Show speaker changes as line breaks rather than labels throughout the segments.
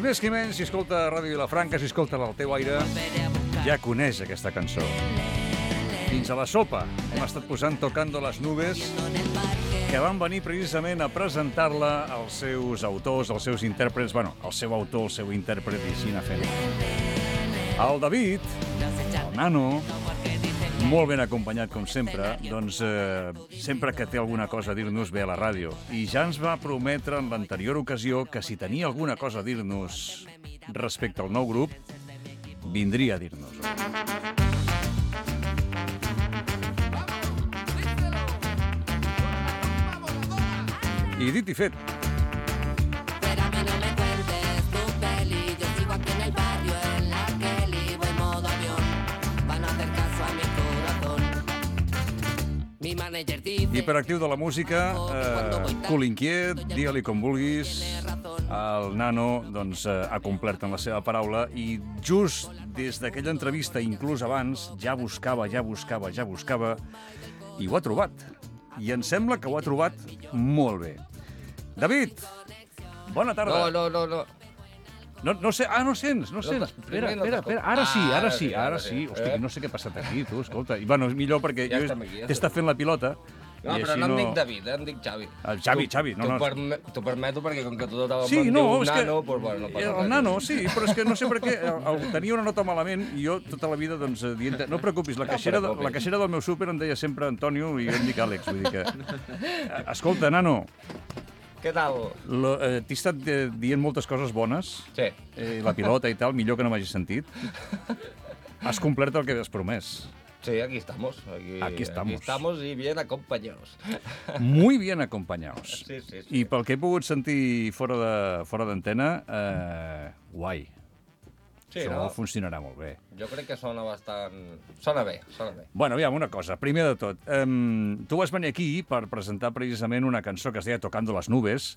més qui menys, si escolta Ràdio Vilafranca, si escolta al teu aire, ja coneix aquesta cançó. Fins a la sopa hem estat posant Tocando las nubes, que van venir precisament a presentar-la als seus autors, als seus intèrprets, bueno, el seu autor, el seu intèrpret, i així anar fent. El David, el Nano, molt ben acompanyat, com sempre, doncs sempre que té alguna cosa a dir-nos ve a la ràdio. I ja ens va prometre en l'anterior ocasió que si tenia alguna cosa a dir-nos respecte al nou grup, vindria a dir-nos-ho. I dit i fet. Hiperactiu de la música, cul inquiet, digue-li com vulguis. El Nano doncs, ha complert en la seva paraula i just des d'aquella entrevista, inclús abans, ja buscava i ho ha trobat. I em sembla que ho ha trobat molt bé. David, bona tarda.
No.
No sé, no sents. Espera, ara sí. Hosti, no sé què ha passat aquí, tu, escolta. I, bueno, és millor perquè jo t'he estat fent la pilota.
No, però no em dic David, em dic Xavi.
Xavi, no.
T'ho permeto perquè com que tothom
sí,
em
no,
diu
és
Nano,
que,
doncs bueno, no passa res.
El Nano, sí, però és que no sé per què tenia una nota malament i jo tota la vida, doncs, dient, no preocupis, la caixera del meu súper em deia sempre Antonio i jo em dic Àlex, vull dir que... Escolta, Nano,
què tal?
t'he estat dient moltes coses bones,
Sí.
La pilota i tal, millor que no m'hagis sentit. Has complert el que has promès.
Sí, aquí estamos. Aquí estamos y bien acompañados.
Muy bien acompañados.
Sí.
I pel que he pogut sentir fora d'antena, guai.
Sí,
Això
no?
funcionarà molt bé.
Jo crec que sona bastant... Sona bé.
Bueno, aviam, una cosa. Primer de tot, tu vas venir aquí per presentar precisament una cançó que es deia Tocando las nubes,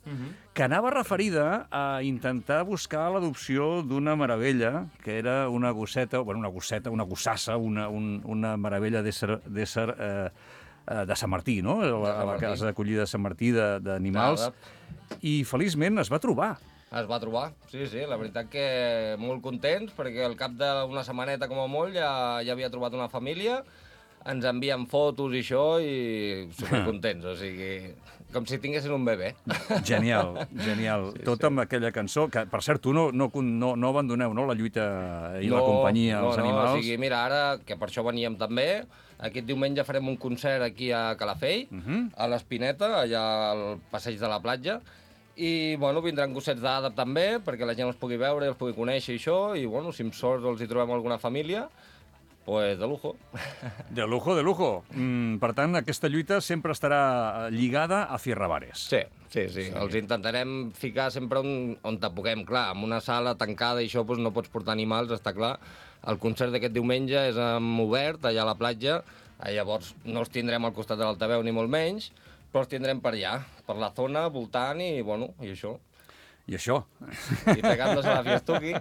que anava referida a intentar buscar l'adopció d'una meravella, que era una gosseta, una gossassa, una meravella d'ésser de Sant Martí, no? A la casa d'acollida de Sant Martí d'animals. I feliçment es va trobar.
Es va trobar, sí, la veritat que molt contents, perquè al cap d'una setmaneta com a molt ja havia trobat una família, ens envien fotos i això, i supercontents, o sigui, com si tinguessin un bebè.
Genial. Sí, tot amb aquella cançó, que per cert, tu no abandoneu, no?, la lluita i la companyia als animals.
O sigui, mira, ara, que per això veníem també, aquest diumenge farem un concert aquí a Calafell, a l'Espineta, allà al passeig de la platja, i, bueno, vindran gossets d'àdap també, perquè la gent els pugui veure, els pugui conèixer i això, i, bueno, si amb sort els hi trobem alguna família, pues de lujo.
De lujo. Per tant, aquesta lluita sempre estarà lligada a Fierrabares.
Sí. Els intentarem ficar sempre on te puguem. Clar, en una sala tancada i això doncs no pots portar animals, està clar. El concert d'aquest diumenge és obert, allà a la platja, llavors no els tindrem al costat de l'altaveu ni molt menys, però els tindrem per allà, per la zona, voltant i, bueno, i això.
I això.
I pegándose la fiestuqui.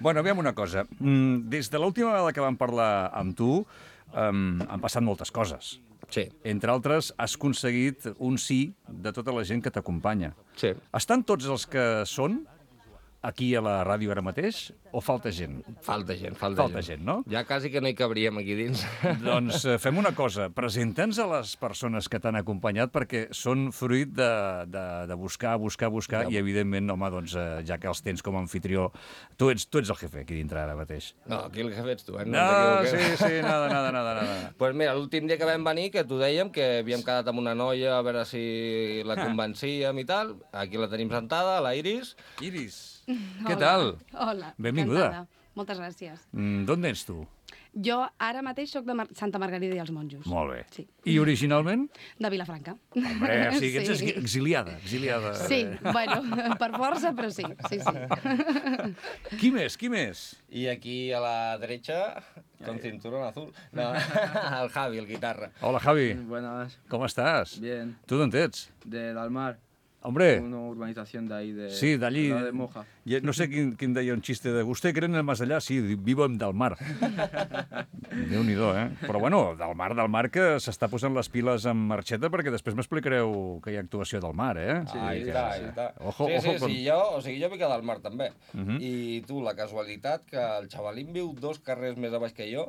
Bueno, aviam una cosa. Des de l'última vegada que vam parlar amb tu, han passat moltes coses.
Sí.
Entre altres, has aconseguit un sí de tota la gent que t'acompanya.
Sí.
Estan tots els que són aquí a la ràdio ara mateix, o falta gent?
Falta gent,
no?
Ja quasi que no hi cabríem aquí dins.
Doncs fem una cosa, presenta'ns a les persones que t'han acompanyat, perquè són fruit de buscar, i evidentment, home, doncs, ja que els tens com a anfitrió, tu ets el jefe aquí dintre ara mateix.
No, aquí el jefe ets tu, eh?
No, sí, nada.
Pues mira, l'últim dia que vam venir, que t'ho dèiem, que havíem quedat amb una noia a veure si la convencíem i tal, aquí la tenim sentada, la Iris.
Iris, què tal?
Hola.
Benvinguda.
Encantada. Moltes gràcies.
D'on ets tu?
Jo ara mateix sóc de Santa Margarida i els Monjos.
Molt bé.
Sí.
I originalment?
De Vilafranca.
Hombre, o sigui que ets exiliada.
Sí, bueno, per força, però sí.
Qui més?
I aquí a la derecha, con cinturón azul, no, el Javi, el guitarra.
Hola, Javi.
Buenas.
Com estàs?
Bien.
Tu d'on ets?
De Dalmar.
Hombre,
Una urbanización de ahí,
sí, d'allí...
de Moja.
No sé quin deia un xiste de «Usted cree en el más allá?» Sí, vivo del mar. Déu-n'hi-do, eh? Però bueno, del mar que s'està posant les piles amb marxeta perquè després m'explicareu que hi ha actuació del mar, eh?
Sí,
Ahí
sí,
està,
sí.
ahí està.
Ojo,
sí,
ojo
sí,
con-
sí, jo m'he quedat al mar també. I tu, la casualitat que el xavalín viu 2 carrers més a baix que jo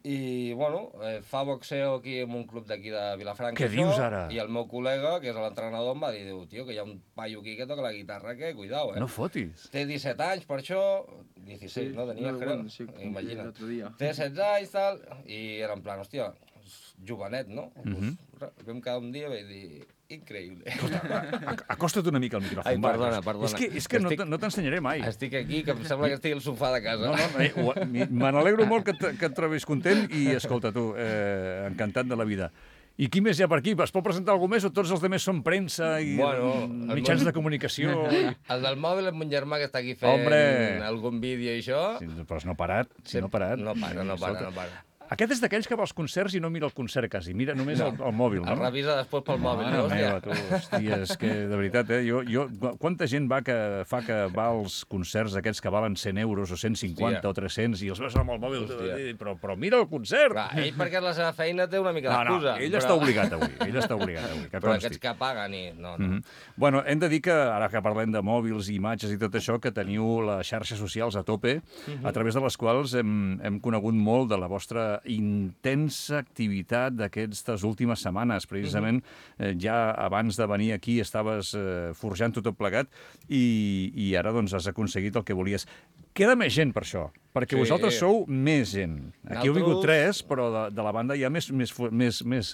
i, bueno, fa boxeo aquí en un club d'aquí de Vilafranca.
Què dius ara?
I el meu col·lega, que és l'entrenador, em va dir, diu, tio, que hi ha un paio aquí que toca la guitarra, que cuidao,
No fotis.
Té 17 anys, per això... 16, no? Tenia,
no,
crec.
bueno, sí, cumplí
Imagina't.
el otro día.
Té 16 anys, tal, i era en plan, hòstia, jovenet, no? Pues, vam quedar un dia i vaig dir, increïble.
Acosta't una mica al micròfon.
Ai,
va.
perdona, perdona.
És que no t'ensenyaré mai.
Estic aquí, que em sembla que estic al sofà de casa.
Me n'alegro molt que et trobis content i, escolta, tu, encantat de la vida. I qui més hi ha per aquí? Es pot presentar algú més o tots els altres són premsa i mitjans de comunicació?
El del mòbil és mon germà que està aquí fent algun vídeo i això.
Sí, però no ha parat, no ha parat.
No para.
Aquest és d'aquells que va als concerts i no mira el concert quasi, mira només el mòbil, no?
El revisa després pel mòbil, no?
Meva, tu, hòstia, és que de veritat, quanta gent va que va als concerts aquests que valen 100 euros o 150 o 300 i els veus amb el mòbil, però mira el concert!
Clar, ell perquè la seva feina té una mica d'excusa.
Ell està obligat avui, que
però
consti.
aquests que paguen i... No.
Bueno, hem de dir que, ara que parlem de mòbils, imatges i tot això, que teniu les xarxes socials a tope, a través de les quals hem conegut molt de la vostra intensa activitat d'aquestes últimes setmanes. Precisament, ja abans de venir aquí estaves forjant tot plegat i ara doncs has aconseguit el que volies. Queda més gent per això, perquè vosaltres sou més gent. Aquí heu vingut 3, però de la banda hi ha més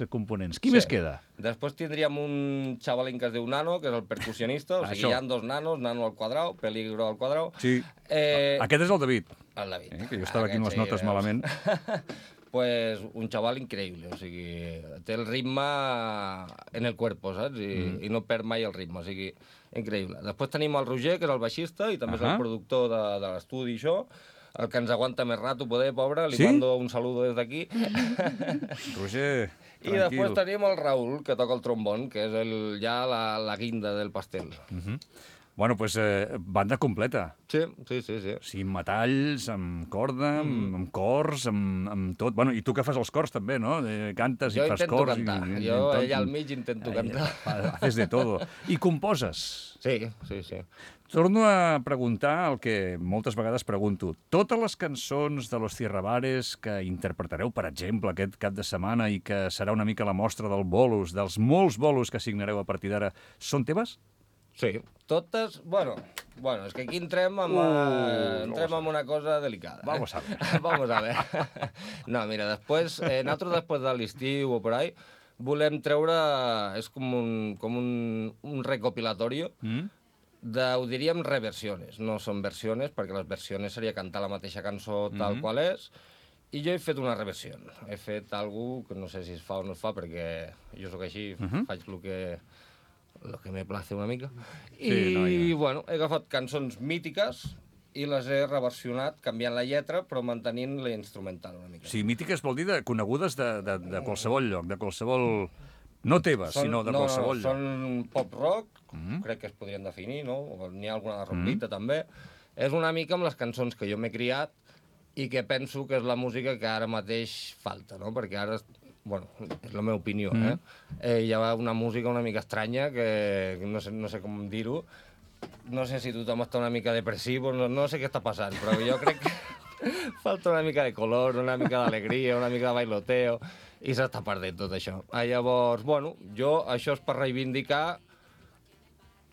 components. Qui més queda?
Després tindríem un xavalín que es diu Nano, que és el percussionista, o sigui, hi ha 2 nanos, Nano al quadrau, Peligro al quadrau.
Sí, aquest és el David.
El David.
Que jo estava aquí amb les notes malament.
Pues un xaval increïble, o sigui, té el ritme en el cuerpo, saps? I no perd mai el ritme, o sigui, increïble. Després tenim el Roger, que és el baixista i també és el productor de l'estudi i això, el que ens aguanta més rato, poder, pobre, li mando un saludo des d'aquí.
Roger, tranquil.
I després tenim el Raül, que toca el trombón, que és ja la guinda del pastel.
Bueno, doncs banda completa.
Sí.
Sí, amb metalls, amb corda, amb cors, amb tot. Bueno, i tu que fas els cors també, no? Cantes i fas cors.
Jo intento cantar. Jo allà al mig intento cantar.
Haces de todo. I composes.
Sí.
Torno a preguntar el que moltes vegades pregunto. Totes les cançons de Los Tierrabares que interpretareu, per exemple, aquest cap de setmana i que serà una mica la mostra del bolos, dels molts bolos que signareu a partir d'ara, són teves?
Sí, totes... Bueno, és que aquí entrem amb una cosa delicada.
Vamos a ver.
Vamos a ver. No, mira, nosaltres després de l'estiu o por ahí, volem treure... És com un recopilatorio ho diríem reversiones. No són versiones, perquè les versiones seria cantar la mateixa cançó tal qual és, i jo he fet una reversió. He fet alguna que no sé si es fa o no es fa, perquè jo sóc així, faig el que me place una mica. I, bueno, he agafat cançons mítiques i les he reversionat, canviant la lletra, però mantenint la instrumental una mica.
Sí, mítiques vol dir conegudes de qualsevol lloc, de qualsevol... No teves, sinó de qualsevol lloc.
Són pop-rock, crec que es podrien definir, no? N'hi ha alguna de rockita, també. És una mica amb les cançons que jo m'he criat i que penso que és la música que ara mateix falta, no? Perquè ara... Bueno, és la meva opinió, hi ha una música una mica estranya que no sé com dir-ho. No sé si tothom està una mica depressiu, no sé què està passant, però jo crec que falta una mica de color, una mica d'alegria, una mica de bailoteo, i s'està perdent tot això. Llavors, bueno, això és per reivindicar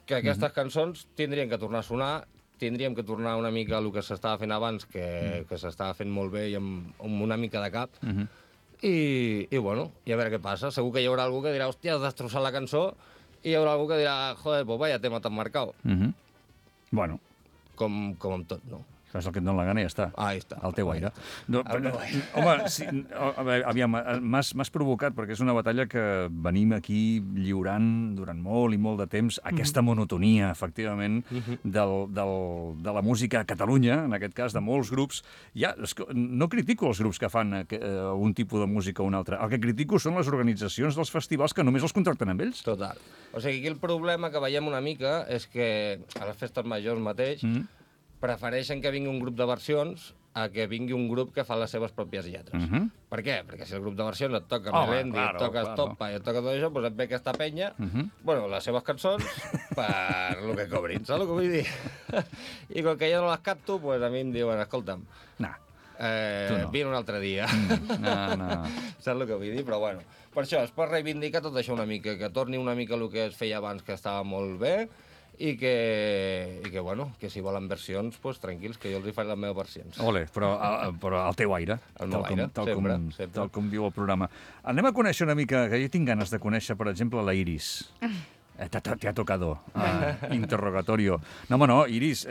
que aquestes cançons tindrien que tornar a sonar, tindríem que tornar una mica a el que s'estava fent abans, que s'estava fent molt bé i amb una mica de cap, i bueno, i a veure què passa. Segur que hi haurà algú que dirà, hòstia, has destrossat la cançó, i hi haurà algú que dirà, joder, pues vaya tema tan marcado.
Bueno.
Com amb tot, no?
Fas el que et dona la gana i ja està.
Ahí està.
Al teu aire. No,
Al meu aire.
home, sí, aviam, m'has provocat, perquè és una batalla que venim aquí lliurant durant molt i molt de temps, aquesta monotonia, efectivament, de la música a Catalunya, en aquest cas, de molts grups. Ja, no critico els grups que fan un tipus de música o un altre. El que critico són les organitzacions dels festivals que només els contracten amb ells.
Total. O sigui, aquí el problema que veiem una mica és que a les festes majors mateix prefereixen que vingui un grup de versions a que vingui un grup que fa les seves pròpies lletres. Per què? Perquè si el grup de versions et toca Melendi, et toca Estopa i et toca tot això, doncs et ve aquesta penya, bueno, les seves cançons, per el que cobrin, saps el que vull dir? I com que jo no les capto, doncs a mi em diuen, escolta'm, vine un altre dia.
No.
Saps el que vull dir? Però bueno, per això, es pot reivindicar tot això una mica, que torni una mica el que es feia abans, que estava molt bé, i que bueno, que si volen versions, doncs tranquils, que jo els hi faré les meves versions.
Ole, però al teu aire.
Al meu aire, sempre.
Tal com diu el programa. Anem a conèixer una mica, que jo tinc ganes de conèixer, per exemple, la Iris. Te ha tocado. Interrogatorio. No, home, no, Iris,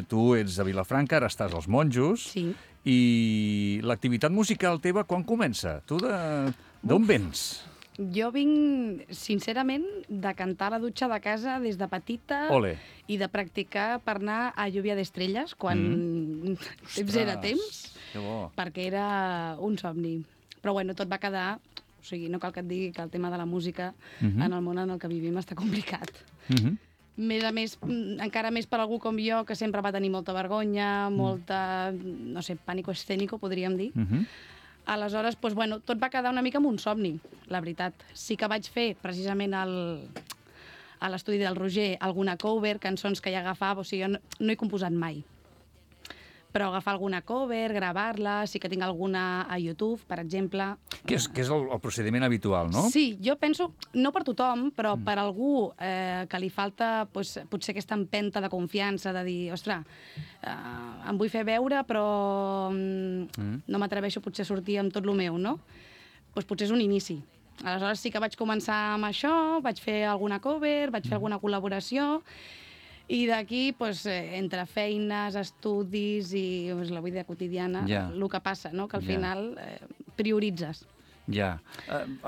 tu ets de Vilafranca, ara estàs als Monjos.
Sí.
I l'activitat musical teva quan comença? Tu d'on vens?
Jo vinc, sincerament, de cantar a la dutxa de casa des de petita.
Ole.
I de practicar per anar a Lluvia d'Estrelles quan temps era temps,
Que bo.
perquè era un somni. Però bueno, tot va quedar... O sigui, no cal que et digui que el tema de la música en el món en el que vivim està complicat. Més a més, encara més per algú com jo, que sempre va tenir molta vergonya, molta, no sé, pànico escènico, podríem dir. Aleshores, doncs, bueno, tot va quedar una mica amb un somni, la veritat. Sí que vaig fer, precisament, a l'estudi del Roger, alguna cover, cançons que ja agafava, o sigui, jo no he composat mai. Però agafar alguna cover, gravar-la, sí que tinc alguna a YouTube, per exemple.
Que és el procediment habitual, no?
Sí, jo penso, no per tothom, però per algú que li falta potser aquesta empenta de confiança, de dir, ostres, em vull fer veure, però no m'atreveixo potser a sortir amb tot el meu, no? Doncs potser és un inici. Aleshores sí que vaig començar amb això, vaig fer alguna cover, vaig fer alguna col·laboració, i d'aquí, entre feines, estudis i la vida quotidiana, el que passa, no? Que al final prioritzes.
Ja.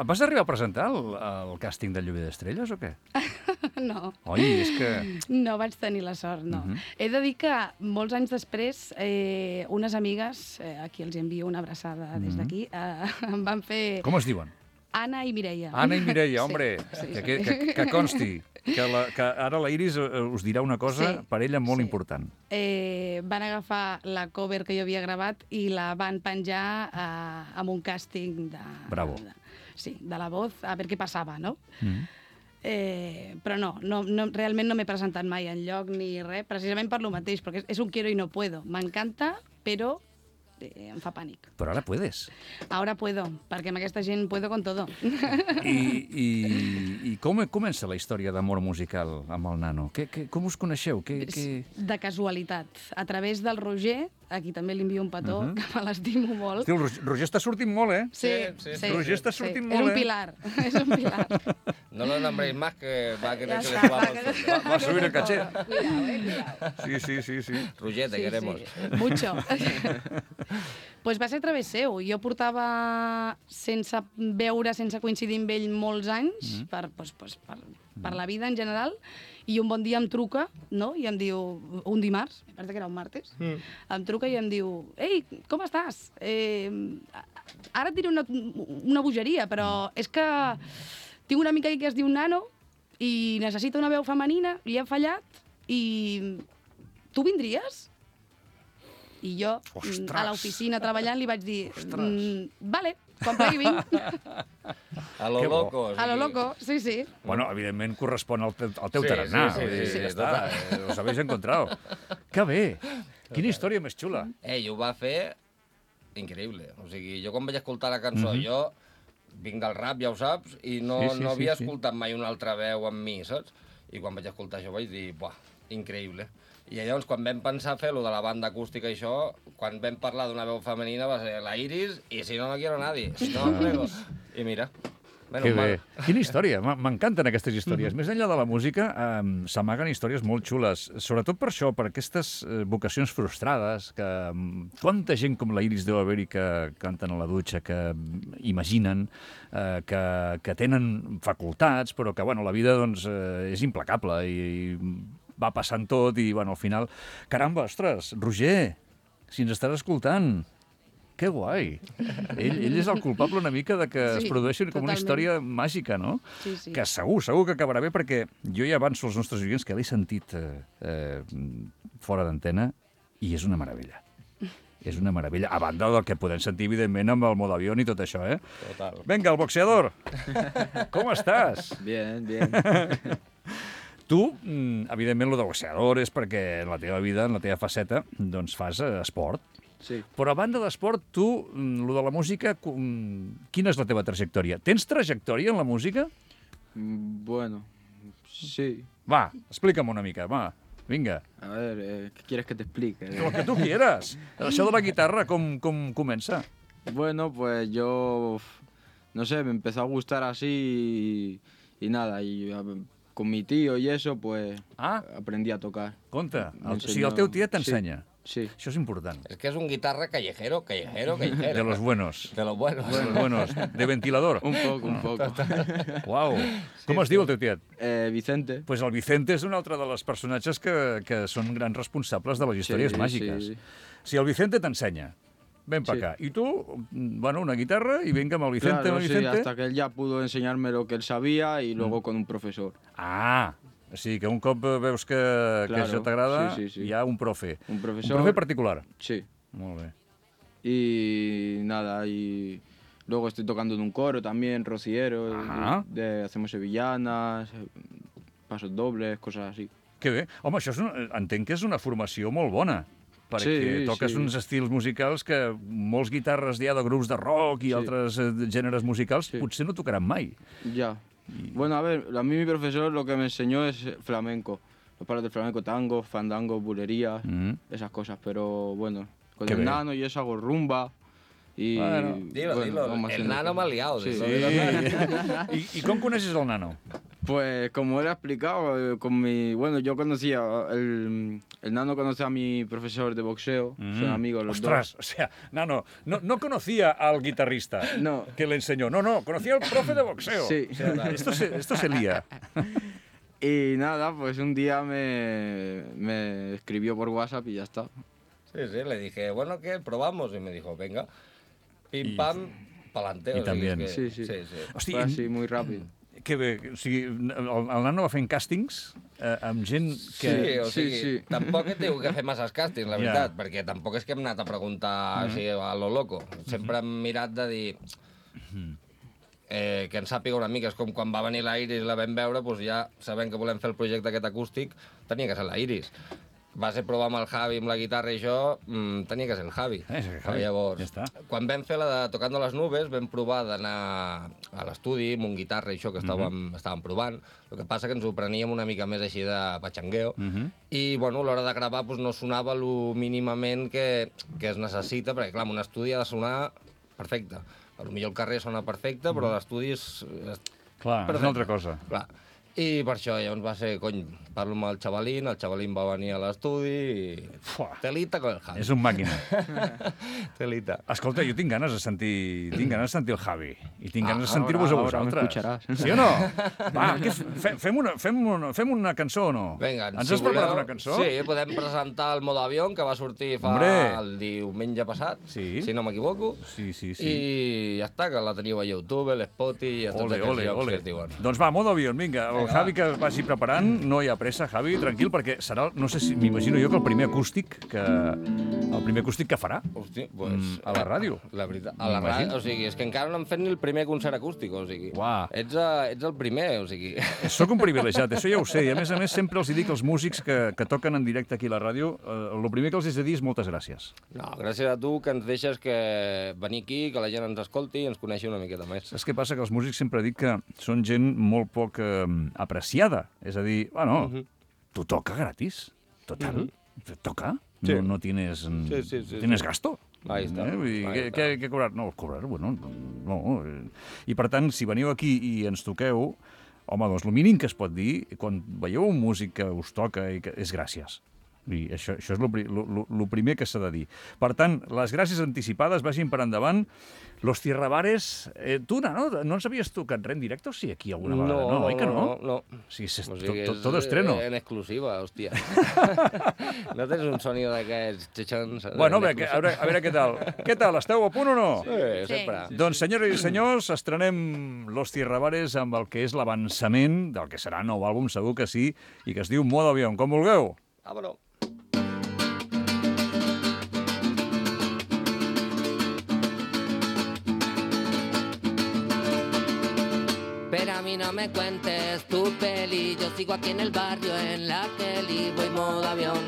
Vas arribar a presentar el càsting de Lluvia d'Estrelles o què?
No.
Oi, és que...
No vaig tenir la sort, no. He de dir que molts anys després, unes amigues, a qui els envio una abraçada des d'aquí, em van fer...
Com es diuen?
Anna i Mireia.
Anna i Mireia, hombre, que consti, que ara la Iris us dirà una cosa per ella molt important.
Van agafar la cover que jo havia gravat i la van penjar amb un càsting de...
Bravo.
Sí, de La Voz, a veure què passava, no? Però no, realment no m'he presentat mai enlloc ni res, precisament per lo mateix, perquè és un quiero y no puedo. M'encanta, però em fa pànic.
Però ara puedes.
Ara puedo, perquè amb aquesta gent puedo con todo.
I com comença la història d'amor musical amb el nano? Com us coneixeu?
De casualitat. A través del Roger, a qui també li envio un petó, que me l'estimo molt.
Hosti, el Roger està sortint molt, eh?
Sí.
Roger està sortint molt,
És un pilar, és un pilar.
No lo nombréis más, que va a querer que le
Va a subir el caché.
Cuidado.
Sí.
Roger, te queremos.
Mucho. Pues va ser a través seu. Jo portava sense veure, sense coincidir amb ell molts anys, per la vida en general, i un bon dia em truca, no? I em diu, un dimarts, em pensa que era un martes, em truca i em diu, ei, com estàs? Ara et diré una bogeria, però és que tinc una amiga que es diu Nano i necessita una veu femenina, li hem fallat, i tu vindries? I jo, a l'oficina treballant, li vaig dir, vale, quan plegui vinc.
A lo loco.
A lo loco, sí.
Bueno, evidentment correspon al teu tarannà.
Sí,
ja està, os habéis encontrado. Que bé! Quina història més xula.
Ell ho va fer increïble. O sigui, jo quan vaig escoltar la cançó, jo vinc del rap, ja ho saps, i no havia escoltat mai una altra veu amb mi, saps? I quan vaig escoltar això vaig dir, buah, increïble. I llavors, quan vam pensar fer-lo de la banda acústica i això, quan vam parlar d'una veu femenina va ser la Iris, i si no, no quiero nadie. Si no, I mira.
Que bé. Quina història, m'encanten aquestes històries. Més enllà de la música, s'amaguen històries molt xules, sobretot per això, per aquestes vocacions frustrades, que quanta gent com la Iris deu haver-hi que canten a la dutxa, que imaginen, que tenen facultats, però que, bueno, la vida, doncs, és implacable i va passant tot i, bueno, al final... Caramba, ostres, Roger, si ens estàs escoltant, que guai. Ell és el culpable una mica de que es produeixi com una història màgica, no?
Sí.
Que segur que acabarà bé, perquè jo ja avanço als nostres oients que l'he sentit fora d'antena i és una meravella. És una meravella, a banda del que podem sentir, evidentment, amb el modo avión i tot això, eh?
Total.
Venga, el boxeador! Com estàs?
Bien.
Tu, evidentment, lo de boxeador és perquè en la teva vida, en la teva faceta, doncs fas esport.
Sí.
Però a banda d'esport, tu, lo de la música, quina és la teva trajectòria? Tens trajectòria en la música?
Bueno, sí.
Va, explica'm una mica, va, vinga.
A ver, ¿qué quieres que te explique?
Lo que tu quieras. Això de la guitarra, com comença?
Bueno, pues yo, no sé, me empezó a gustar así y nada, con mi tío y eso, pues aprendí a tocar.
Conta, o sigui, el teu tiet t'ensenya.
Sí.
Això és important.
És que és un guitarra callejero.
De los buenos.
De los buenos.
De los buenos. De ventilador.
Un poco.
Uau. Com es diu el teu tiet?
Vicente.
Pues el Vicente és un altre dels personatges que són grans responsables de les històries màgiques.
Sí.
Si el Vicente t'ensenya, ven pa acá. I tu, bueno, una guitarra y venga amb el Vicente,
Claro,
amb el Vicente.
sí, hasta que él ya pudo enseñarme lo que él sabía y luego con un profesor.
Ah, o sigui que un cop veus que això t'agrada, hi ha un profe.
Un profesor.
Un profe particular.
Sí.
Molt bé.
Y nada, y luego estoy tocando en un coro también, rociero, hacemos sevillanas, pasos dobles, cosas así.
Que bé. Home, això entenc que és una formació molt bona, perquè toques uns estils musicals que molts guitarres de grups de rock i altres gèneres musicals potser no tocaran mai.
Ya. Bueno, a ver, a mí mi profesor lo que me enseñó es flamenco. Los palos de flamenco, tango, fandango, bulería, esas cosas. Pero bueno, con el nano y eso hago rumba. Y,
bueno, dilo. El nano m'ha liado.
Sí. ¿Y cómo conoces al nano?
Pues como él ha explicado, bueno, yo conocía, el nano conoce a mi profesor de boxeo, son amigos los dos.
O sea, nano, no conocía al guitarrista que le enseñó, no, conocía al profe de boxeo.
Sí.
O sea, esto se lía.
Y nada, pues un día me escribió por WhatsApp y ya está.
Sí, le dije, bueno, ¿qué? ¿Probamos? Y me dijo, venga, pim, pam, pa'lante.
Y también.
Sí.
Hòstia,
fue así, muy rápido.
Que bé, o sigui, el nano va fent càstings amb gent que...
Sí. Tampoc et diu que fer masses càstings, la veritat, perquè tampoc és que hem anat a preguntar així a lo loco. Sempre hem mirat de dir que ens sàpiga una mica. És com quan va venir la Iris i la vam veure, doncs ja sabent que volem fer el projecte aquest acústic, tenia que ser la Iris. Va ser provar amb el Javi, amb la guitarra i això, tenia que ser el Javi. Llavors, quan vam fer la de Tocando les Nubes, vam provar d'anar a l'estudi amb un guitarra i això que estàvem provant. El que passa que ens ho preníem una mica més així de patxangueo i, bueno, a l'hora de gravar no sonava el mínimament que es necessita, perquè, clar, en un estudi ha de sonar perfecte. Potser el carrer sona perfecte, però l'estudi és...
Clar, és una altra cosa.
Clar. I per això llavors va ser, parlo amb el xavalín va venir a l'estudi i... Telita con el Javi.
És un màquina.
Telita.
Escolta, jo tinc ganes de sentir el Javi i tinc ganes de sentir-vos a vosaltres. Sí o no? Va, fem una cançó o no?
Vinga,
ens has preparat una cançó?
Sí, podem presentar el Modo Avión, que va sortir el diumenge passat, si no m'equivoco.
Sí.
I ja està, que la teniu a YouTube, a l'Spotify i a tots aquests llocs que es diuen.
Doncs va, Modo Avión, vinga. El Javi que vagi preparant, no hi ha pressa, Javi, tranquil, perquè serà, no sé si m'imagino jo que el primer acústic que farà a la ràdio.
La veritat, a la ràdio, o sigui, és que encara no hem fet ni el primer concert acústic, o sigui, ets el primer, o sigui...
Soc un privilegiat, això ja ho sé, i a més sempre els dic als músics que toquen en directe aquí a la ràdio, el primer que els he de dir és moltes gràcies.
No, gràcies a tu que ens deixes venir aquí, que la gent ens escolti i ens coneixi una miqueta més.
Saps què passa? Que els músics sempre dic que són gent molt poc apreciada. És a dir, bueno, tu toca gratis. Total. Toca. No tienes gasto.
Ahí està.
Què cobrar? No, cobrar, bueno, no. I per tant, si veniu aquí i ens toqueu, home, doncs el mínim que es pot dir, quan veieu un músic que us toca, és gràcies. I això és el primer que s'ha de dir. Per tant, les gràcies anticipades vagin per endavant. Los Tierrabares... Tu, no ens havies tocat res en directe o sí aquí alguna vegada? No, oi que no?
No.
Sí, tot estreno.
En exclusiva, hòstia. No tens un sonido d'aquests xixons?
Bueno, a veure què tal. Què tal, esteu a punt o no?
Sí, sempre.
Doncs, senyores i senyors, estrenem Los Tierrabares amb el que és l'avançament del que serà nou àlbum, segur que sí, i que es diu Modo Avión. Com vulgueu.
Vámonos. Pero a mí no me cuentes tu peli, yo sigo aquí en el barrio en la Kelly, voy modo avión,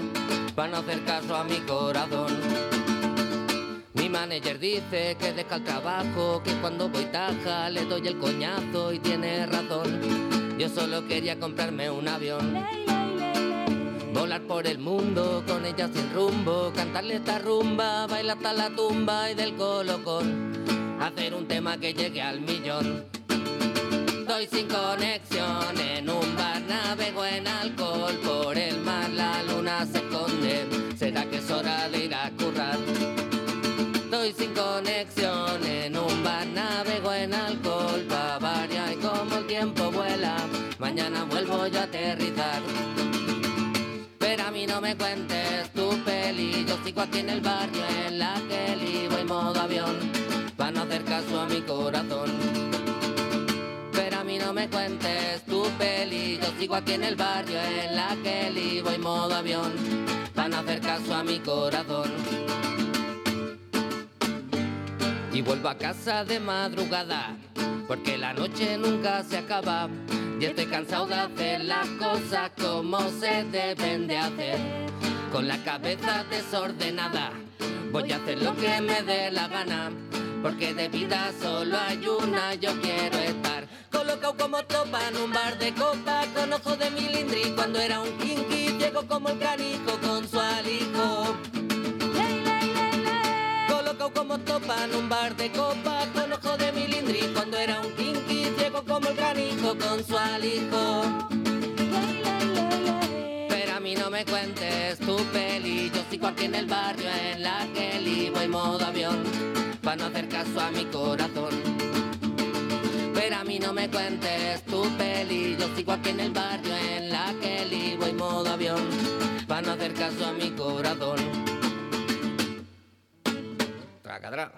para no hacer caso a mi corazón. Mi manager dice que deja el trabajo, que cuando voy taja le doy el coñazo y tiene razón. Yo solo quería comprarme un avión, volar por el mundo con ella sin rumbo, cantarle esta rumba, bailar hasta la tumba y del colocón, hacer un tema que llegue al millón. Estoy sin conexión en un bar, navego en alcohol por el mar, la luna se esconde, será que es hora de ir a currar. Estoy sin conexión en un bar, navego en alcohol pa' variar y como el tiempo vuela, mañana vuelvo yo a aterrizar. Pero a mí no me cuentes tu peli, yo sigo aquí en el barrio en la Kelly, voy modo avión, pa' no hacer caso a mi corazón. Pero a mí no me cuentes tu peli, yo sigo aquí en el barrio en la Kelly, voy modo avión, pa' no hacer caso a mi corazón. Y vuelvo a casa de madrugada, porque la noche nunca se acaba, y estoy cansado de hacer las cosas como se deben de hacer, con la cabeza desordenada, voy a hacer lo que me dé la gana, porque de vida solo hay una, yo quiero estar colocado como tropa en un bar de copa, con ojos de milindri cuando era un kinky, llego como el canijo con su alijo. Colocado como tropa en un bar de copa, con ojos de milindri cuando era un kinky, llego como el canijo con su alijo. Pero a mí no me cuentes tu peli, yo sigo aquí en el barrio en la Kelly, voy modo avión, pa' no hacer caso a mi corazón. Pero a mí no me cuentes tu peli, yo sigo aquí en el barrio en la Kelly, voy modo avión, pa' no hacer caso a mi corazón. Tracadrà.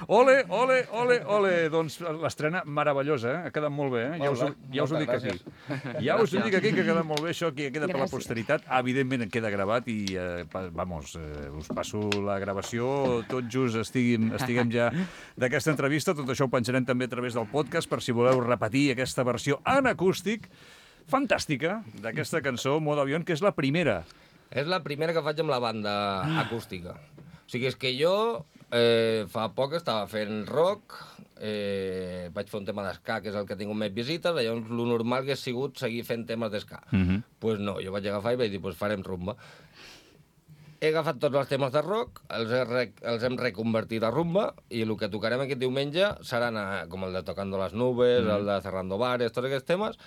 Ole, ole, ole, ole. Doncs l'estrena meravellosa, ha quedat molt bé, ja us ho dic aquí. Ja us ho dic aquí, que ha quedat molt bé, això que queda per la posteritat. Evidentment queda gravat i, us passo la gravació, tot just estiguem ja d'aquesta entrevista. Tot això ho penjarem també a través del podcast per si voleu repetir aquesta versió en acústic fantàstica d'aquesta cançó, Modo Avión, que és la primera.
És la primera que faig amb la banda acústica. O sigui, és que jo fa poc estava fent rock, vaig fer un tema d'esca, que és el que ha tingut més visites, llavors el normal que ha sigut seguir fent temes d'esca. Doncs no, jo vaig agafar i vaig dir, farem rumba. He agafat tots els temes de rock, els hem reconvertit a rumba, i el que tocarem aquest diumenge seran com el de Tocando las Nubes, el de Cerrando Bares, tots aquests temes,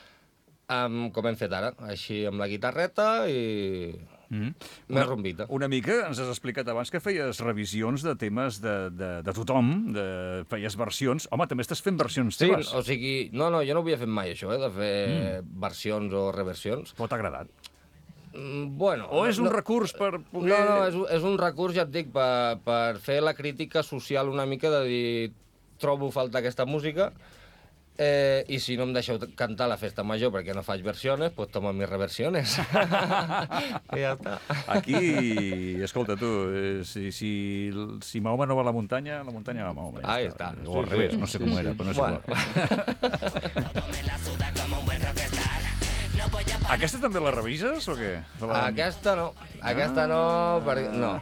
com hem fet ara, així amb la guitarreta i més rumbita.
Una mica ens has explicat abans que feies revisions de temes de tothom, feies versions. Home, també estàs fent versions teves.
Sí, o sigui, no, jo no ho havia fet mai, això, de fer versions o reversions.
Però t'ha agradat?
Bueno...
O és un recurs per poder...
No, és un recurs, ja et dic, per fer la crítica social una mica, de dir, trobo falta aquesta música, i si no em deixeu cantar a la festa major perquè no faig versiones, pues tomo mis reversiones. I ja està.
Aquí, escolta, tu, si Mahoma no va a la muntanya va a Mahoma.
Ahí està.
O al revés, no sé com era, però no sé Aquesta també la revises o què?
Aquesta no. No.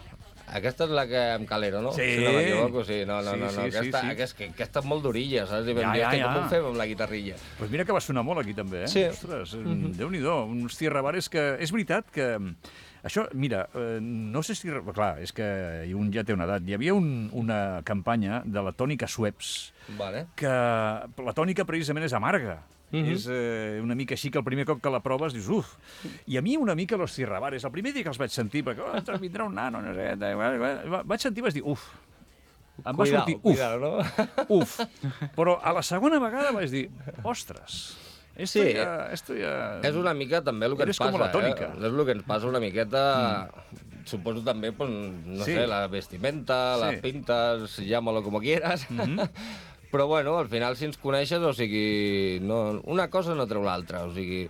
Aquesta és la que amb Calero, no?
Sí.
Si no m'equivoco, sí. No. Aquesta és molt d'orilla, saps? I vam dir, com ho fem amb la guitarrilla?
Doncs mira que va sonar molt aquí també, eh?
Sí.
Ostres, Déu-n'hi-do, uns Tierrabares que... És veritat que Això, mira, no sé si... Clar, és que un ja té una edat. Hi havia una campanya de la tònica Schweppes,
Vale.
que la tònica precisament és amarga. És una mica així que el primer cop que la proves dius, uf. I a mi una mica los Cirrabares, el primer dia que els vaig sentir, perquè vindrà un nano, no sé, vaig sentir i vaig dir, uf. Em va sortir, uf,
no?
uf. Però a la segona vegada vaig dir, ostres, esto ja...
És una mica també el que ens
Eres com
passa,
la tònica.
És el que ens passa una miqueta... Suposo també, pues, no sé, la vestimenta, les pintes, llámalo como quieras. Però, bueno, al final, si ens coneixes, o sigui, no, una cosa no treu l'altra. O sigui,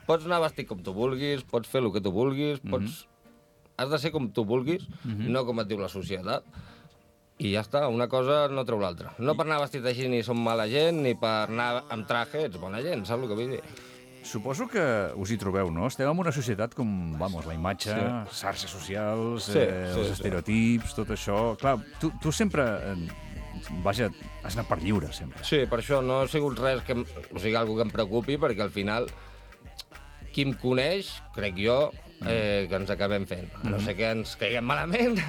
pots anar vestit com tu vulguis, pots fer el que tu vulguis, has de ser com tu vulguis, no com et diu la societat. I ja està, una cosa no treu l'altra. No per anar vestit així ni som mala gent, ni per anar amb traje ets bona gent, saps el que vull dir?
Suposo que us hi trobeu, no? Estem en una societat com, vamos, la imatge, xarxes socials, els estereotips, tot això. Clar, tu sempre, vaja, has anat per lliure, sempre.
Sí, per això no ha sigut res que, o sigui, algo que em preocupi, perquè al final, qui em coneix, crec jo, que ens acabem fent. A no sé que ens caiguem malament,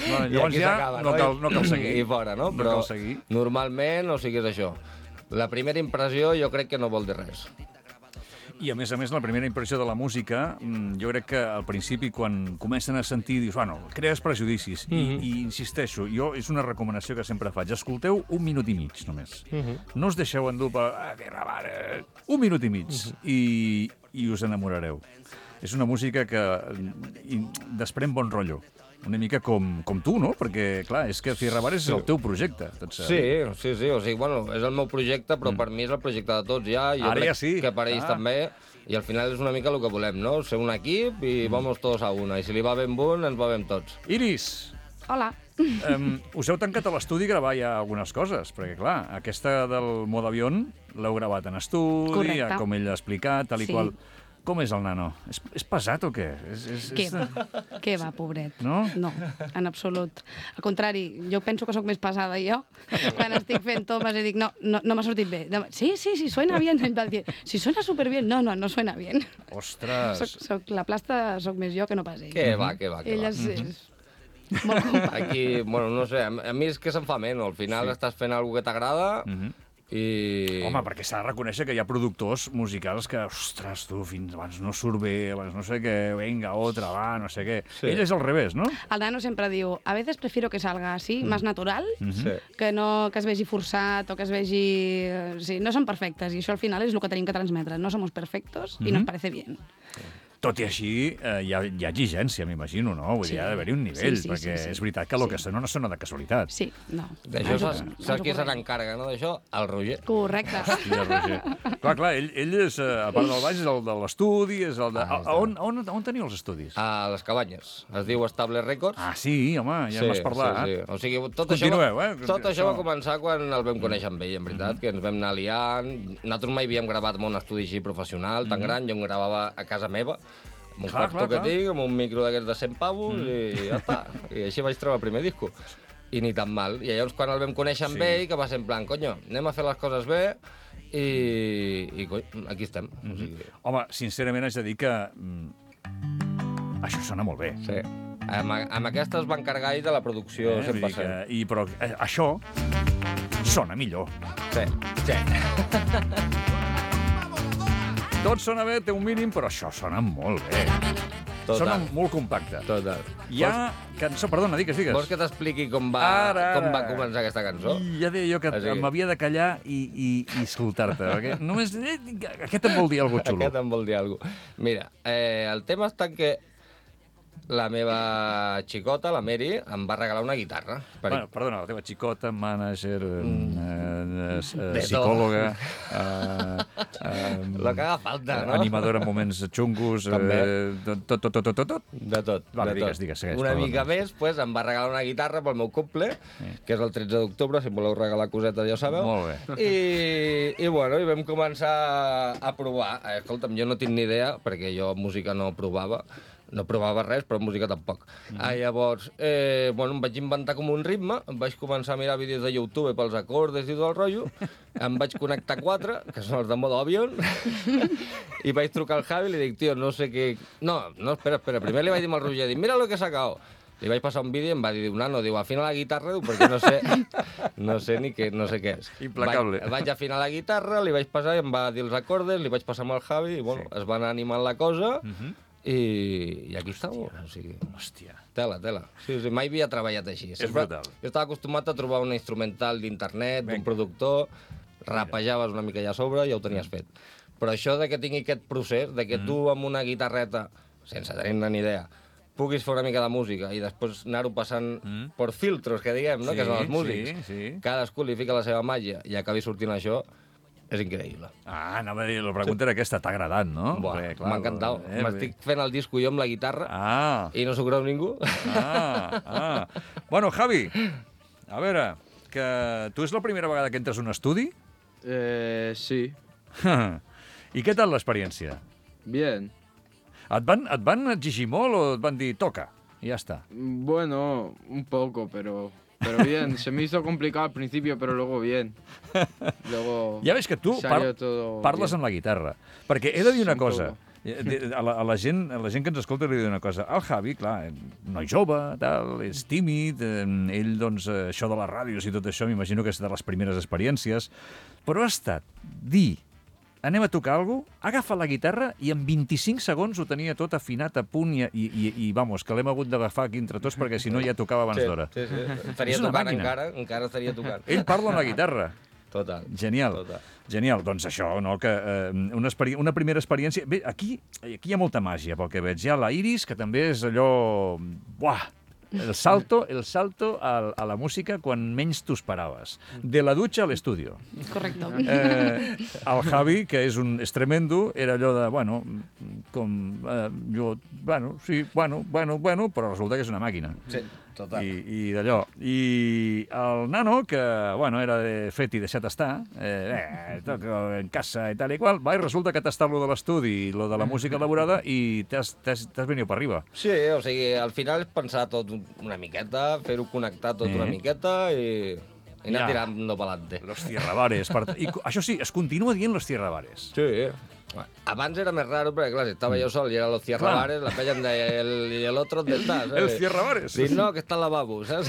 Bueno, llavors ja no cal seguir.
I fora, no?
No
Però
cal seguir.
normalment, o sigui, és això. La primera impressió jo crec que no vol dir res.
I, a més, la primera impressió de la música, jo crec que al principi, quan comencen a sentir, dius, bueno, crees prejudicis. I insisteixo, jo és una recomanació que sempre faig. Escolteu 1 minut i mig, només. No us deixeu endur per... Un minut i mig. I us enamorareu. És una música que desprèn bon rotllo. Una mica com tu, no? Perquè, clar, és que Cirrabares és el teu projecte.
Sí. O sigui, bueno, és el meu projecte, però per mi és el projecte de tots ja. Jo
Ara
crec
ja sí.
que per ells també. I al final és una mica el que volem, no? Ser un equip i vamos todos a una. I si li va ben un, ens va ben tots.
Iris!
Hola.
Us heu tancat a l'estudi a gravar ja algunes coses, perquè, clar, aquesta del Modavion l'heu gravat en estudi,
Correcte.
com ell ha explicat, tal i
Sí.
qual. Com és el nano? És pesat o què?
Què va, pobret?
No?
No, en absolut. Al contrari, jo penso que sóc més pesada jo. Quan estic fent tomes i dic, no m'ha sortit bé. Sí, suena bien. Si suena superbien. No suena bien.
Ostres!
La plasta sóc més jo que no pas ell.
Què va.
Ell és molt company.
Aquí, bueno, no sé, a mi és que se'm fa menys. Al final estàs fent alguna que t'agrada i...
Home, perquè s'ha de reconèixer que hi ha productors musicals que, ostres, tu, fins abans no surt bé, abans no sé què, venga, otra, va, no sé què.
Sí.
Ell és al revés, no?
El nano sempre diu, a veces prefiero que salga así, más natural,
Sí.
que no que es vegi forçat o que es vegi... Sí, no són perfectes, i això al final és el que tenim que transmetre. No somos perfectos y nos parece bien.
Tot i així, hi ha exigència, m'imagino, no? Vull dir, ha d'haver-hi un nivell, perquè és veritat que el que sona no sona de casualitat.
Sí, no.
D'això saps qui se n'encarga, no, d'això? El Roger.
Correcte.
Hòstia, Roger. Clar, ell és, a part del baix, és el de l'estudi, és el de... On teniu els estudis?
A les Cabanyes. Es diu Estable Records.
Ah, sí, home, ja m'has parlat.
Sí. O sigui, tot
Continueu,
això va començar quan el vam conèixer amb ell, en veritat, que ens vam anar liant. Nosaltres mai havíem gravat en un estudi així professional, tan gran, jo em gravava a casa meva, amb un quarto que tinc, amb un micro d'aquests de 100 pavos, i ja està. I així vaig treure el primer disco. I ni tan mal. I llavors, quan el vam conèixer amb ell, que va ser en plan, conyo, anem a fer les coses bé, i aquí estem. O sigui...
Home, sincerament haig de dir que això sona molt bé.
Sí. Amb aquesta es va encargar ell de la producció, 100%.
Però això sona millor.
Sí.
Tot sona bé, té un mínim, però això sona molt bé.
Total.
Sona molt compacte.
Total.
Hi ha cançó... Perdona, digues.
Vols que t'expliqui com va començar aquesta cançó?
Ja deia jo que m'havia de callar i escoltar-te. Perquè només... Aquest em vol dir alguna cosa xulo.
Aquest em vol dir alguna cosa. Mira, el tema està en que la meva xicota, la Mary, em va regalar una guitarra.
Bueno, perdona, la teva xicota, mànager, psicòloga,
la que haga falta, no?
Animadora en moments xungos, tot.
De tot.
Vale, digues, segueix.
Una mica més, pues, em va regalar una guitarra pel meu cumple, que és el 13 d'octubre, si em voleu regalar cosetes ja ho sabeu.
Molt bé.
I bueno, i vam començar a provar. Escolta'm, jo no tinc ni idea, perquè jo música no provava, No provava res, però música tampoc. Llavors, bueno, em vaig inventar com un ritme, em vaig començar a mirar vídeos de YouTube pels acordes i tot el rotllo, em vaig connectar 4, que són els de modo avión, i vaig trucar al Javi i li dic, tio, no sé què... No, espera, primer li vaig dir al Roger, dic, mira lo que he sacado. Li vaig passar un vídeo i em va dir, nano, diu, afina la guitarra, diu, perquè no sé què és.
Implacable.
Vaig afinar la guitarra, li vaig passar i em va dir els acordes, li vaig passar amb el Javi i, bueno, es va anar animant la cosa i aquí està. O sigui,
hòstia.
Tela. Sí, mai havia treballat així.
És brutal.
Jo estava acostumat a trobar un instrumental d'internet, d'un productor, rapejaves una mica allà a sobre i ja ho tenies fet. Però això de que tingui aquest procés, de que tu amb una guitarreta, sense tenir ni idea, puguis fer una mica de música i després anar-ho passant per filtros, que diguem, no? Que són els músics. Cadascú li fica la seva màgia i acabi sortint això, és increïble.
Anava a dir, la pregunta era aquesta, t'ha agradat, no?
M'ha encantat. M'estic fent el disco jo amb la guitarra i no s'ho creu ningú.
Bueno, Javi, a veure, que tu és la primera vegada que entres a un estudi?
Sí.
I què tal l'experiència?
Bien.
Et van exigir molt o et van dir toca i ja està?
Bueno, un poco, pero bien. Se me hizo complicado al principio, pero luego bien. Luego
ja veig que tu parles amb la guitarra. Perquè he de dir una cosa. A la gent que ens escolta li he de dir una cosa. El Javi, clar, noi jove, tal, és tímid, ell, doncs, això de les ràdios i tot això, m'imagino que és de les primeres experiències, però ha estat dir anem a tocar alguna cosa, agafa la guitarra i en 25 segons ho tenia tot afinat a punt i vamos, que l'hem hagut d'agafar aquí entre tots perquè si no ja tocava abans d'hora.
Sí. Estaria tocant encara estaria tocant.
Ell parla amb la guitarra.
Total.
Genial. Doncs això, no? Que una primera experiència... Bé, aquí hi ha molta màgia, pel que veig. Hi ha la Iris, que també és allò... Buah! El salto a la música quan menys t'ho esperaves. De la dutxa a l'estudio.
Correcte.
El Javi, que és tremendo, era allò de, bueno, però resulta que és una màquina.
Sí, total.
I d'allò. I el nano, que, bueno, era fet i deixat estar, toca en casa i tal i qual, i resulta que t'ha estat lo de l'estudi i lo de la música elaborada i t'has venit per arriba.
Sí, o sigui, al final és pensar tot una miqueta, fer-ho connectar tot una miqueta i anar tirant pelante.
Los tierrabares. I això sí, es continua dient los tierrabares.
Sí. Abans era més raro, perquè clar, si estava jo sol i era los tierrabares, la penya em deia, i l'altre on està, saps?
Els tierrabares.
Dic, no, que està al lavabo, saps?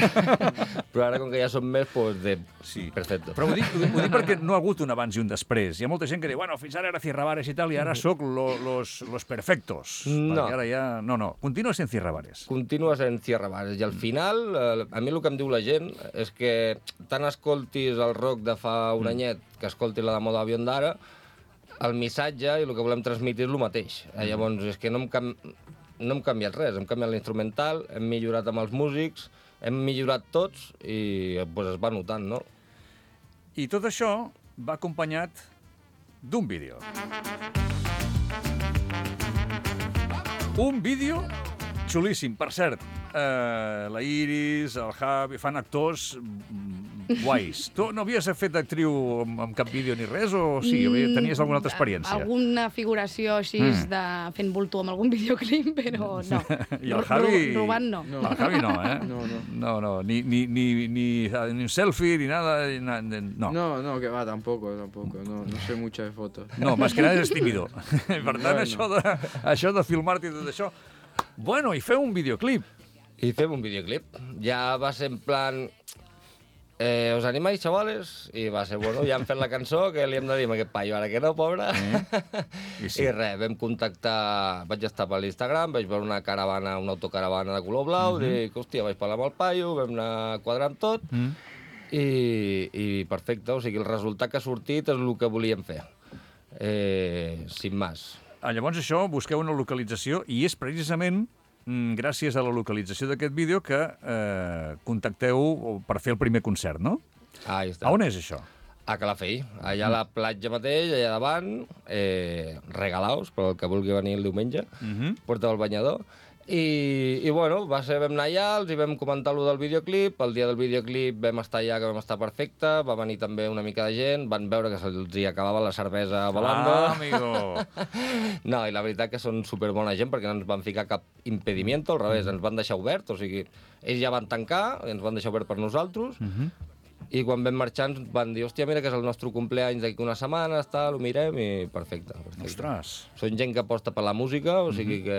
Però ara, com que ja som més, doncs,
sí.
Perfecte.
Però ho dic perquè no ha hagut un abans i un després. Hi ha molta gent que diu, bueno, fins ara era tierrabares i tal, i ara sóc los perfectos.
No.
Perquè ara ja... No, continua sent tierrabares.
Continua sent tierrabares. I al final, a mi el que em diu la gent és que tant escoltis el rock de fa un anyet que escoltis la de moda avión d'ara, el missatge i el que volem transmetre és el mateix. Llavors, és que no hem canviat res, hem canviat l'instrumental, hem millorat amb els músics, hem millorat tots i pues, es va notant, no?
I tot això va acompanyat d'un vídeo. Un vídeo xulíssim, per cert. La Iris, el Javi, fan actors guais. Tu no havies fet d'actriu amb cap vídeo ni res, o sí? Tenies alguna altra experiència?
Alguna figuració així de fent bulto amb algun videoclip, però no.
I el Javi...
Robant no.
El Javi no, eh? No. Ni un selfie, ni nada. No.
No, que va, tampoco. No sé mucho de fotos.
No, más que nada és tímido. Per tant, això de filmar-te i tot això... Bueno, i feu un videoclip.
Ja va ser en plan... ¿Os animáis, chavales? I va ser, bueno, ja hem fet la cançó, que li hem de dir a aquest paio, ara que no, pobre. I res, vam contactar... Vaig estar per l'Instagram, vaig veure una autocaravana de color blau, dic, hòstia, vaig parlar amb el paio, vam anar quadrant tot, i perfecte, o sigui, el resultat que ha sortit és el que volíem fer. Sin más.
Llavors això, busqueu una localització i és precisament gràcies a la localització d'aquest vídeo que contacteu per fer el primer concert, no?
Ahí està.
A on és això?
A Calafell, allà a la platja mateix, allà davant, regalaos, per el que vulgui venir el diumenge, porteu el banyador. I bueno, vam anar allà, els hi vam comentar allò del videoclip, el dia del videoclip vam estar allà, que vam estar perfecte, va venir també una mica de gent, van veure que se'ls hi acabava la cervesa volando.
Ah, amigo!
No, i la veritat que són superbona gent perquè no ens van ficar cap impedimento, al revés, ens van deixar obert, o sigui, ells ja van tancar, ens van deixar obert per nosaltres, i quan vam marxar ens van dir, hòstia, mira que és el nostre cumpleaños d'aquí una setmana, ho mirem, i perfecte.
Ostres!
Són gent que aposta per la música, o sigui que...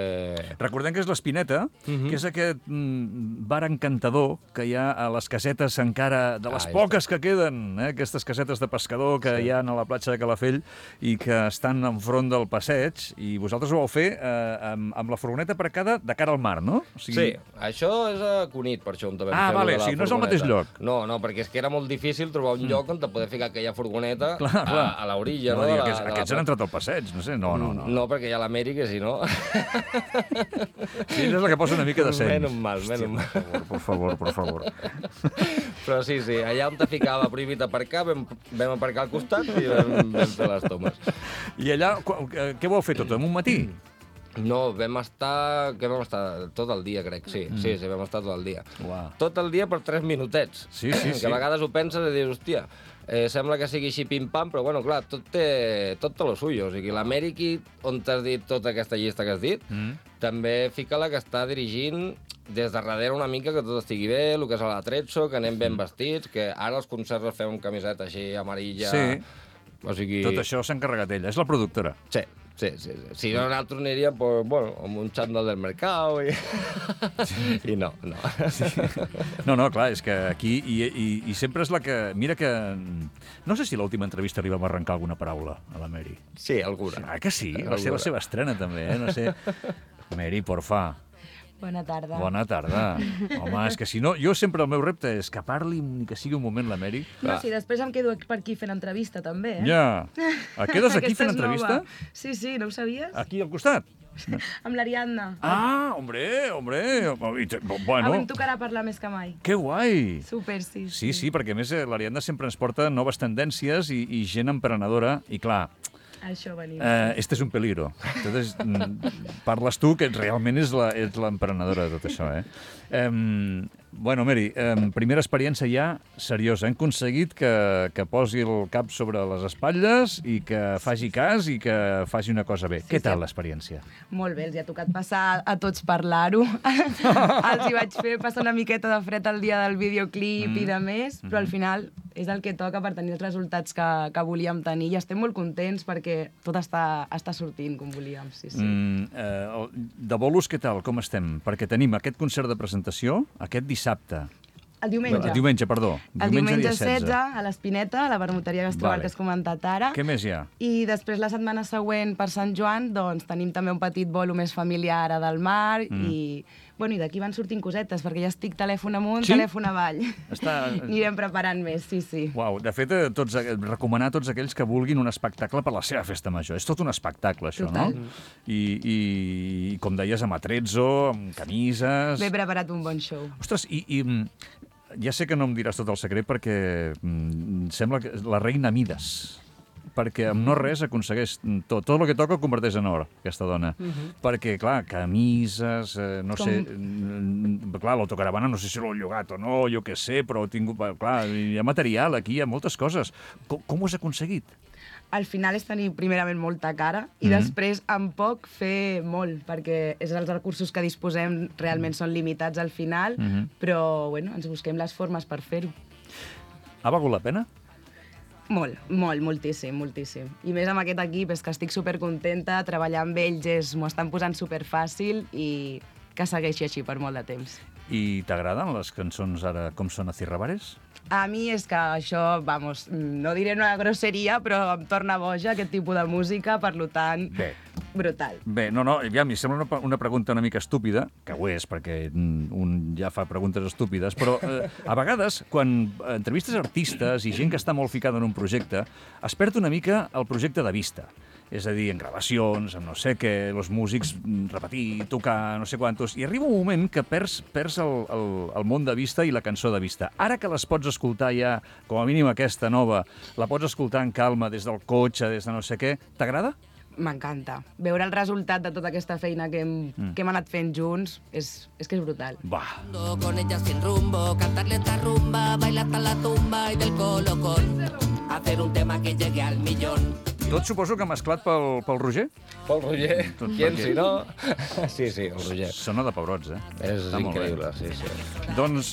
Recordem que és l'Espineta, que és aquest bar encantador que hi ha a les casetes encara, de les poques que queden, aquestes casetes de pescador que hi ha a la platja de Calafell i que estan enfront del passeig, i vosaltres ho vau fer amb la furgoneta aparcada de cara al mar, no? O sigui...
Sí, això és a Cunit, per això on també
Ah, vale, o sigui, no és al mateix lloc.
No, perquè és que era molt difícil trobar un lloc on te poder ficar aquella furgoneta a l'orilla.
No, aquests han entrat al passeig, no sé, no.
No, perquè hi ha l'Amèrica, que si no...
Sí, és la que posa una mica de seny.
Menys mal.
Per favor.
Però sí, allà on te ficava prohibit aparcar, vam aparcar al costat i vam fer les tomes.
I allà, què vau fer tot, en un matí?
No, vam estar tot el dia, crec, sí, vam estar tot el dia.
Uau.
Tot el dia per 3 minutets.
Sí.
Que a vegades ho penses i dius, hòstia, sembla que sigui així pim-pam, però bueno, clar, tot té lo suyo. O sigui, l'Amèrica, on t'has dit tota aquesta llista que has dit, també fica-la que està dirigint des de darrere una mica que tot estigui bé, el que és a l'Atrezzo, que anem ben vestits, que ara els concerts els fem amb camiseta així amarilla... Sí,
o sigui... tot això s'ha encarregat ella, és la productora.
Sí. Si no, nosaltres aniríem amb un xandall del mercat i no.
Sí. No, clar, és que aquí i sempre és la que... Mira que... No sé si l'última entrevista li vam arrencar alguna paraula a la Mary.
Sí, alguna.
Ah, que sí? Va ser la seva estrena, també, no sé. Mary, porfa.
Bona tarda.
Bona tarda. Home, és que si no... Jo sempre el meu repte és que parli ni que sigui un moment la Mary.
No, sí, després em quedo per aquí fent entrevista, també,
Ja. Quedes aquí fent entrevista?
Sí, no ho sabies?
Aquí al costat?
Amb l'Ariadna.
Ah, hombre. Bueno.
Avui em tocarà parlar més que mai.
Que guai.
Super, sí.
Sí, perquè a més l'Ariadna sempre ens porta noves tendències i gent emprenedora, i clar...
Això venim.
Este és un peligro. Entonces, parles tu, que realment és l'emprenedora de tot això, Bueno, Mary, primera experiència ja seriosa. Hem aconseguit que posi el cap sobre les espatlles i que faci cas i que faci una cosa bé. Què tal l'experiència?
Molt bé, els hi ha tocat passar a tots parlar-ho. Els hi vaig fer passar una miqueta de fred el dia del videoclip i de més, però al final és el que toca per tenir els resultats que volíem tenir i estem molt contents perquè tot està sortint com volíem. Sí.
De bolos, què tal? Com estem? Perquè tenim aquest concert de presentació, aquest dissabte.
El diumenge.
El diumenge, perdó.
El diumenge 16 a l'Espineta, a la vermuteria Gastrobar, que has comentat ara.
Què més hi ha?
I després, la setmana següent, per Sant Joan, doncs tenim també un petit bolo més familiar a del mar i d'aquí van sortint cosetes, perquè ja estic telèfon amunt, telèfon avall. Anirem preparant més, sí.
Uau, de fet, recomanar a tots aquells que vulguin un espectacle per la seva festa major. És tot un espectacle, això, no? I com deies, amb Atrezzo, amb camises...
M'he preparat un bon show.
Ostres, ja sé que no em diràs tot el secret perquè sembla que la reina Mides, perquè amb no res aconsegueix tot el que toca ho converteix en or, aquesta dona. Perquè, clar, camises, no sé... Clar, l'autocaravana no sé si l'ho llogat o no, jo què sé, però clar, hi ha material aquí, hi ha moltes coses. Com ho has aconseguit?
Al final és tenir primerament molta cara i després amb poc fer molt, perquè els recursos que disposem realment són limitats al final, però ens busquem les formes per fer-ho.
Ha valgut la pena?
Moltíssim. I més amb aquest equip, és que estic supercontenta, treballar amb ells m'ho estan posant superfàcil i que segueixi així per molt de temps.
I t'agraden les cançons ara com són a Cirrabares?
A mi és que això, no diré una grosseria, però em torna boja aquest tipus de música, per tant, brutal.
Bé, ja m'hi sembla una pregunta una mica estúpida, que ho és, perquè un ja fa preguntes estúpides, però a vegades, quan entrevistes artistes i gent que està molt ficada en un projecte, es perd una mica el projecte de vista. És a dir, en gravacions, en no sé què, els músics repetir, tocar, no sé quantos, i arriba un moment que perds el món de vista i la cançó de vista. Ara que les pots escoltar ja, com a mínim aquesta nova, la pots escoltar en calma des del cotxe, des de no sé què, t'agrada?
m'encanta. Veure el resultat de tota aquesta feina que hem anat fent junts és que és brutal.
Va.
Con ella sin rumbo, cantarle esta rumba, bailar hasta la tumba y del colocón, hacer un tema que llegue al millón.
Tot suposo que mesclat pel Roger?
Pel Roger, qui si no? Sí, el Roger.
Sona de pebrots,
És increïble, sí.
Doncs,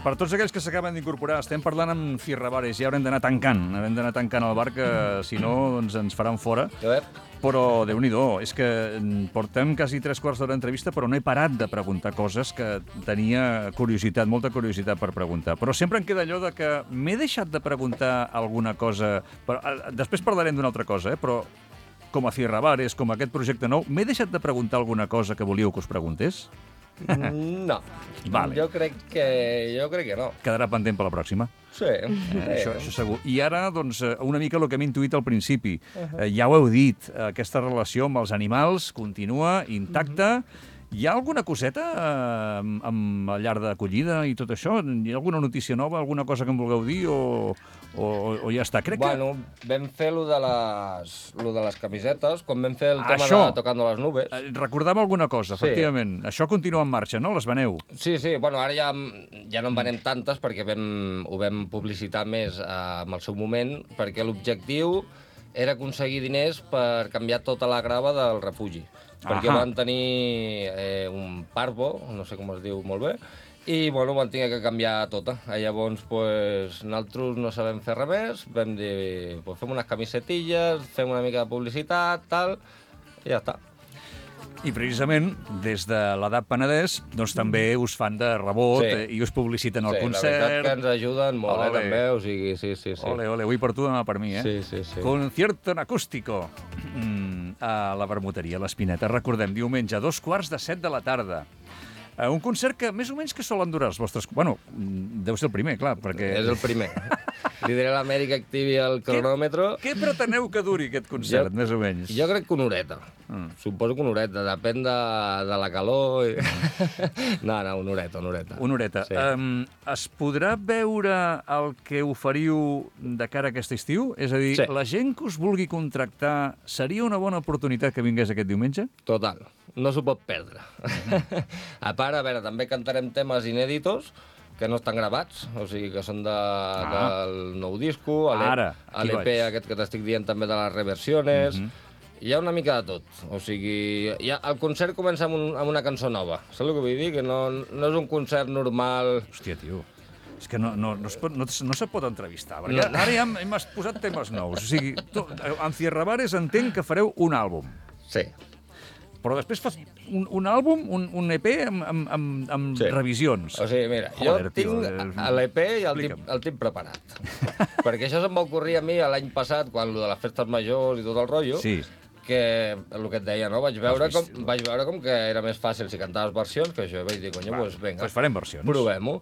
per tots aquells que s'acaben d'incorporar, estem parlant amb Fierrabares, ja haurem d'anar tancant el bar, que si no doncs ens faran fora. Però, Déu-n'hi-do, és que portem quasi 3 quarts d'hora d'entrevista, però no he parat de preguntar coses que tenia curiositat, molta curiositat per preguntar. Però sempre em queda allò de que m'he deixat de preguntar alguna cosa... Després parlarem d'una altra cosa, però com a Fierrabares, com a aquest projecte nou, m'he deixat de preguntar alguna cosa que volíeu que us preguntés?
No.
Vale.
Jo crec que no.
Quedarà pendent per la pròxima.
Sí.
Això segur. I ara, doncs, una mica el que hem intuït al principi. Ja ho heu dit, aquesta relació amb els animals continua intacta. Hi ha alguna coseta amb la llar d'acollida i tot això? Hi ha alguna notícia nova, alguna cosa que em vulgueu dir o ja està?
Bueno, vam fer lo de les camisetes, quan vam fer el tema de Tocando las Nubes.
Recordava alguna cosa, efectivament. Això continua en marxa, no? Les veneu?
Sí, bueno, ara ja no en venem tantes perquè ho vam publicitar més en el seu moment, perquè l'objectiu era aconseguir diners per canviar tota la grava del refugi. Perquè van tenir un parvo, no sé com es diu molt bé, i bueno, van tenir que canviar tota. Llavors, nosaltres no sabem fer res més, vam dir, fem unes camisetilles, fem una mica de publicitat, tal, i ja està.
I precisament, des de l'edat Penedès, doncs també us fan de rebot i us publiciten el concert.
Sí, la veritat que ens ajuden molt, també, o sigui, sí.
Ole, avui per tu, demà per mi,
Sí.
Concierto en acústico a la Vermuteria, a l'Espineta. Recordem, diumenge, 7:15 de la tarda. Un concert que més o menys que solen durar els vostres... Bueno, deu ser el primer, clar, perquè...
És el primer. Li diré a l'Amèrica que activi el cronòmetre.
Què preteneu que duri aquest concert, més o menys?
Jo crec que una horeta. Suposo que una horeta, depèn de la calor. No, una horeta.
Una horeta.
Sí.
Es podrà veure el que oferiu de cara a aquest estiu? És a dir, la gent que us vulgui contractar, seria una bona oportunitat que vingués aquest diumenge?
Total. No s'ho pot perdre. A part, a veure, també cantarem temes inèditos que no estan gravats, o sigui, que són del nou disco, l'EP aquest que t'estic dient també de les reversiones. Hi ha una mica de tot. O sigui, el concert comença amb una cançó nova. Saps el que vull dir? Que no és un concert normal.
Hòstia, tio. És que no se pot entrevistar, perquè ara ja hem posat temes nous. O sigui, amb Fierrabares entenc que fareu un àlbum.
Sí.
Però després fas un àlbum, un EP amb revisions.
O sigui, mira, jo tinc l'EP i el tinc preparat. Perquè això se'm va ocorrir a mi l'any passat, quan de les festes majors i tot el rotllo, que el que et deia, no? Vaig veure com que era més fàcil si cantaves versions, que això vaig dir, doncs vinga,
farem versions.
Provem-ho.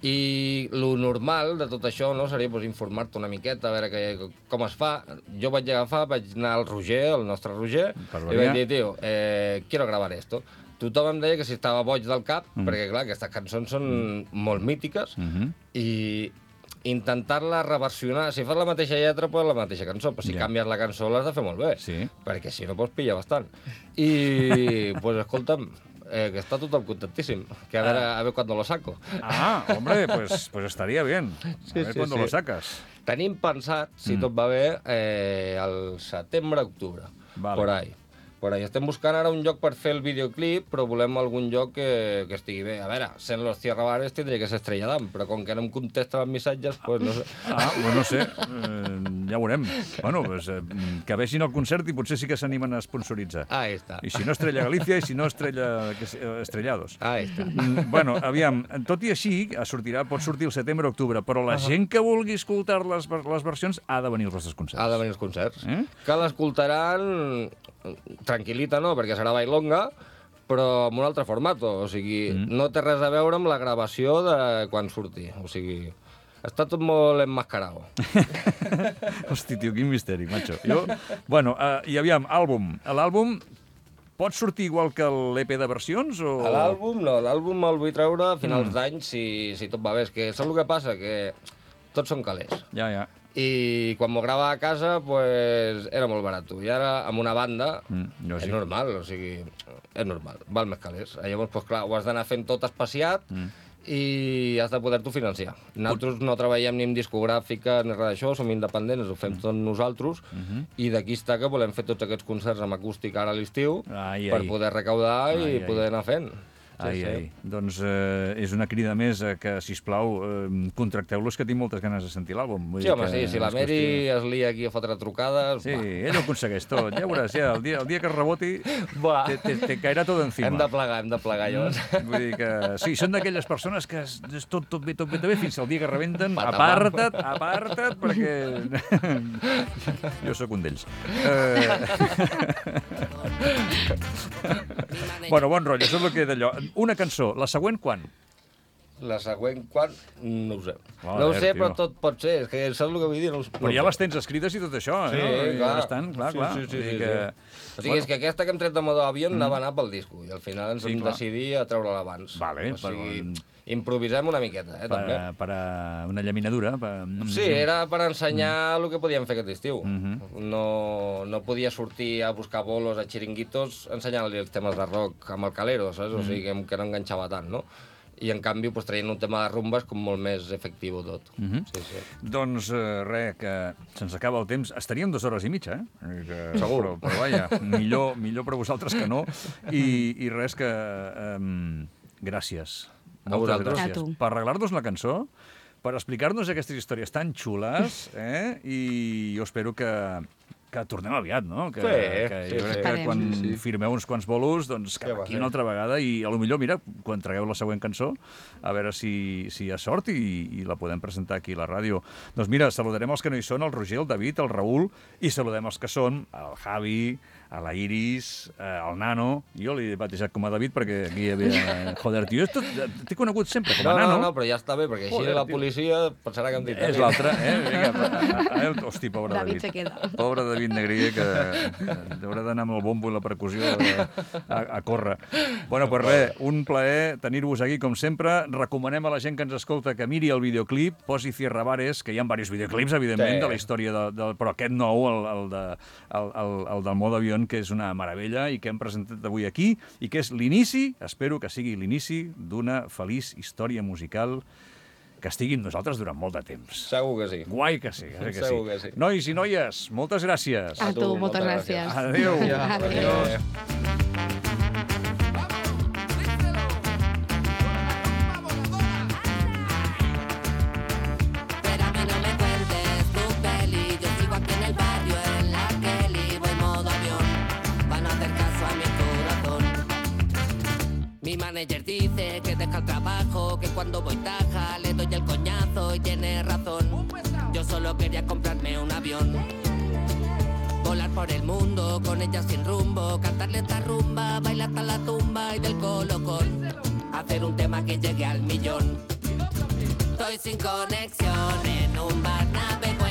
I lo normal de tot això seria informar-te una miqueta, a veure com es fa. Jo vaig anar al Roger, el nostre Roger, i vaig dir, tio, quiero grabar esto. Tothom em deia que si estava boig del cap, perquè, clar, aquestes cançons són molt mítiques, i intentar-la reversionar. Si fas la mateixa lletra, pues la mateixa cançó, però si canvies la cançó l'has de fer molt bé, perquè si no pots pillar bastant. I, pues, escolta'm, que está total contentísimo. Que a ver cuándo lo saco.
Hombre, pues estaría bien. A ver cuándo lo sacas.
Tenim pensat, si tot va bé, el setembre-octubre. Por ahí. Estem buscant ara un lloc per fer el videoclip, però volem algun lloc que estigui bé. A veure, sent los Fierrabares tindria que ser Estrella Damm, però com que no em contesten els missatges, pues no sé.
No sé. Ja ho veurem. Bueno, pues, que vegin el concert i potser sí que s'animen a sponsoritzar.
Ahí està.
I si no, Estrella Galícia, i si no, Estrellados.
Ahí està.
Bueno, aviam, tot i així, pot sortir el setembre-octubre, però la gent que vulgui escoltar les versions ha de venir als vostres concerts.
Ha de venir als concerts. Que l'escoltaran tranquil·lita, no, perquè serà bailonga, però amb un altre format, o sigui, no té res a veure amb la gravació de quan surti, o sigui, està tot molt emmascarado.
Hosti, tio, quin misteri, macho. Bueno, i aviam, àlbum. L'àlbum pot sortir igual que l'EP de versions?
L'àlbum no, l'àlbum el vull treure a finals d'any si tot va bé. És que saps el que passa? Que tots són calés.
Ja.
i quan m'ho grava a casa pues, era molt barat. I ara, amb una banda, és normal, o sigui, és normal, val més calés. Llavors, pues, clar, ho has d'anar fent tot espaciat i has de poder-t'ho financiar. Nosaltres no treballem ni amb discogràfica ni res d'això, som independents, ho fem tot nosaltres, i d'aquí està que volem fer tots aquests concerts amb acústic ara a l'estiu per poder recaudar i poder anar fent.
Doncs és una crida més que, sisplau, contracteu-los, que tinc moltes ganes de sentir l'àlbum.
Sí, home, sí, si la Mary es lia aquí a fotre trucades...
Sí, ell ho aconsegueix tot, ja veuràs, ja, el dia que es reboti te caerà tot encima.
Hem de plegar, llavors.
Vull dir que, sí, són d'aquelles persones que és tot bé, fins al dia que rebenten, aparta't, perquè... Jo sóc un d'ells. Bueno, bon rotllo, això és el que d'allò. Una cançó, la següent quan?
La següent quan? No ho sé. No ho sé, però tot pot ser. És que saps el que vull dir?
Però ja les tens escrites i tot això,
sí,
no?
Clar.
Clar.
Sí. O sigui, és que aquesta que hem tret de modo avió anava a anar pel disco, i al final ens vam decidir a treure-la abans.
Vale,
o sigui, improvisem una miqueta, també.
Per a una llaminadura.
Sí, era per ensenyar el que podíem fer aquest estiu. No podia sortir a buscar bolos a xiringuitos ensenyant-li els temes de rock amb el calero, saps? O sigui, que no enganxava tant, no? I, en canvi, traient un tema de rumba és com molt més efectiu tot.
Doncs res, que se'ns acaba el temps. Estaríem 2 hores i mitja,
Segur.
Però vaja, millor per vosaltres que no. I res, que... Gràcies. Moltes gràcies. Per arreglar-nos la cançó, per explicar-nos aquestes històries tan xules, i jo espero que tornem aviat, no? Jo crec que quan firmeu uns quants bolos, doncs cap aquí una altra vegada, i potser, mira, quan tragueu la següent cançó, a veure si hi ha sort i la podem presentar aquí a la ràdio. Doncs mira, saludarem els que no hi són, el Roger, el David, el Raül, i saludem els que són, el Javi, a la Iris, al Nano. Jo l'he batejat com a David perquè aquí hi havia... Joder, tio, t'he conegut sempre com a Nano.
No, però ja està bé, perquè així la policia pensarà que em dit.
És l'altre, Hosti, pobre David.
David se queda.
Pobre David Negrier, que haurà d'anar amb el bombo i la percussió a córrer. Bueno, pues res, un plaer tenir-vos aquí, com sempre. Recomanem a la gent que ens escolta que miri el videoclip, posi Cierra Bares, que hi ha diversos videoclips, evidentment, de la història, però aquest nou, el del modo avió, que és una meravella i que hem presentat avui aquí, i que és l'inici, espero que sigui l'inici d'una feliç història musical que estigui amb nosaltres durant molt de temps.
Segur que sí.
Guai que sí.
Segur que sí.
Nois i noies, moltes gràcies.
A tu, moltes gràcies.
Adéu.
Adéu.
Mi manager dice que deja el trabajo, que cuando voy taja le doy el coñazo y tiene razón. Yo solo quería comprarme un avión, volar por el mundo con ella sin rumbo, cantarle esta rumba, bailar hasta la tumba y del colocón, hacer un tema que llegue al millón. Estoy sin conexión en un bar, navego